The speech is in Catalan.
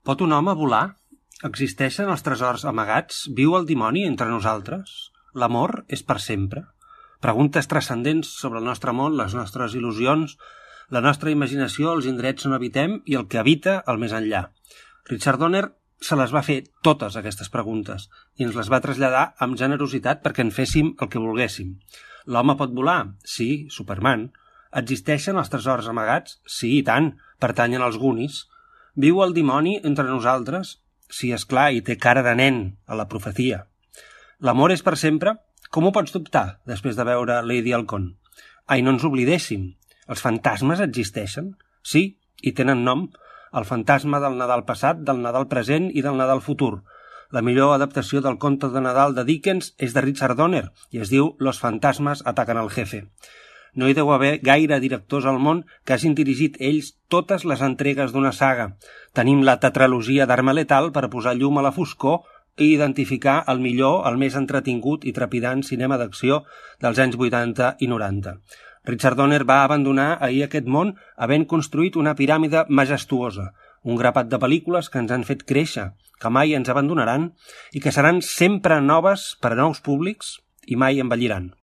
Pot un home volar? Existeixen els tresors amagats? Viu el dimoni entre nosaltres? L'amor és per sempre? Preguntes transcendents sobre el nostre món, les nostres il·lusions, la nostra imaginació, els indrets on habitem i el que habita al més enllà. Richard Donner se les va fer totes aquestes preguntes i ens les va traslladar amb generositat perquè en féssim el que volguéssim. L'home pot volar? Sí, Superman. Existeixen els tresors amagats? Sí, i tant, pertanyen als Goonies. Viu el dimoni entre nosaltres? Sí, esclar, i té cara de nen a la profecia. L'amor és per sempre? Com ho pots dubtar després de veure Lady Halcón? Ai, no ens oblidéssim. Els fantasmes existeixen? Sí, i tenen nom. El fantasma del Nadal passat, del Nadal present i del Nadal futur. La millor adaptació del conte de Nadal de Dickens és de Richard Donner i es diu Los fantasmas atacan al jefe. No hi deu haver gaire directors al món que hagin dirigit ells totes les entregues d'una saga. Tenim la tetralogia d'Arma Letal per posar llum a la foscor i identificar el millor, el més entretingut i trepidant cinema d'acció dels anys 80 i 90. Richard Donner va abandonar ahir aquest món havent construït una piràmide majestuosa, un grapat de pel·lícules que ens han fet créixer, que mai ens abandonaran i que seran sempre noves per a nous públics i mai envelliran.